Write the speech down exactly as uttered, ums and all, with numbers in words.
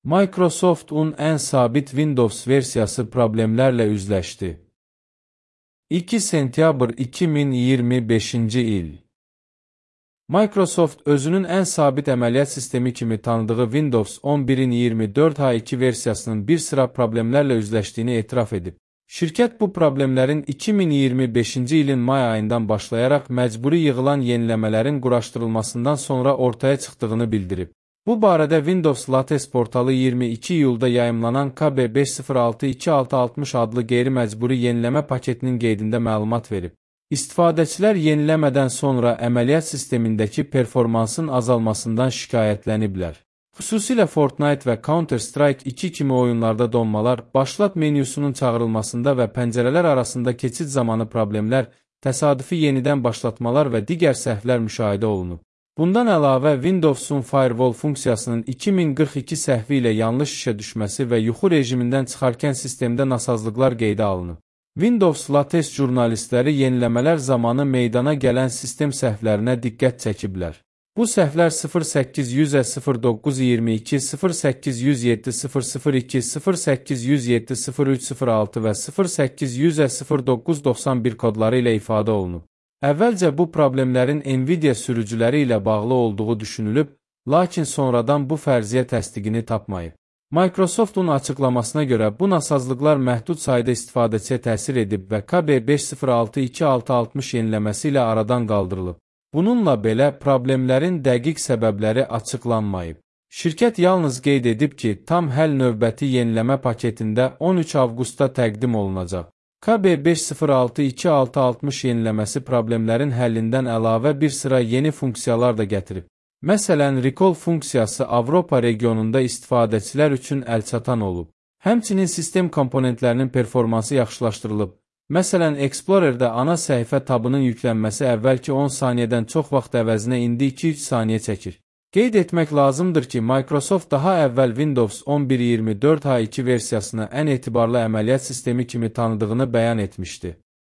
Microsoft'un ən sabit Windows versiyası problemlərlə üzləşdi. iki sentyabr iki min iyirmi beşinci il. Microsoft özünün ən sabit əməliyyat sistemi kimi tanıdığı Windows on birin iyirmi dörd H iki versiyasının bir sıra problemlərlə üzləşdiyini etiraf edib. Şirkət bu problemlərin iki min iyirmi beşinci ilin may ayından başlayaraq məcburi yığılan yeniləmələrin quraşdırılmasından sonra ortaya çıxdığını bildirib. Bu barədə Windows Lattes portalı iyirmi iki iyulda yayımlanan K B beş sıfır altı iki altı altmış adlı qeyri-məcburi yeniləmə paketinin qeydində məlumat verib. İstifadəçilər yeniləmədən sonra əməliyyat sistemindəki performansın azalmasından şikayətləniblər. Xüsusilə Fortnite və Counter-Strike iki kimi oyunlarda donmalar, başlat menyusunun çağırılmasında və pəncərələr arasında keçid zamanı problemlər, təsadüfi yenidən başlatmalar və digər səhvlər müşahidə olunub. Bundan əlavə, Windows'un Firewall funksiyasının iki min qırx iki səhvi ilə yanlış işə düşməsi və yuxu rejimindən çıxarkən sistemdə nasazlıqlar qeydə alınıb. Windows Lattes jurnalistləri yeniləmələr zamanı meydana gələn sistem səhvlərinə diqqət çəkiblər. Bu səhvlər sıfır səkkiz yüz sıfır doqquz iyirmi iki, sıfır səkkiz yüz yeddi sıfır sıfır iki, sıfır səkkiz yüz yeddi sıfır üç sıfır altı və sıfır səkkiz yüz sıfır doqquz doxsan bir kodları ilə ifadə olunub. Əvvəlcə bu problemlərin Nvidia sürücüləri ilə bağlı olduğu düşünülüb, lakin sonradan bu fərziyyə təsdiqini tapmayıb. Microsoft'un açıqlamasına görə bu nasazlıqlar məhdud sayda istifadəçiyə təsir edib və K B beş sıfır altı iki altı altmış yeniləməsi ilə aradan qaldırılıb. Bununla belə problemlərin dəqiq səbəbləri açıqlanmayıb. Şirkət yalnız qeyd edib ki, tam həll növbəti yeniləmə paketində on üç avqustda təqdim olunacaq. K B beş sıfır altı iki altı altmış yeniləməsi problemlərin həllindən əlavə bir sıra yeni funksiyalar da gətirib. Məsələn, Recall funksiyası Avropa regionunda istifadəçilər üçün əlçatan olub. Həmçinin sistem komponentlərinin performansı yaxşılaşdırılıb. Məsələn, Explorer'də ana səhifə tabının yüklənməsi əvvəlki on saniyədən çox vaxt əvəzinə indi iki üç saniyə çəkir. Qeyd etmək lazımdır ki, Microsoft daha əvvəl Windows on bir iyirmi dörd H iki versiyasını ən etibarlı əməliyyat sistemi kimi tanıdığını bəyan etmişdi.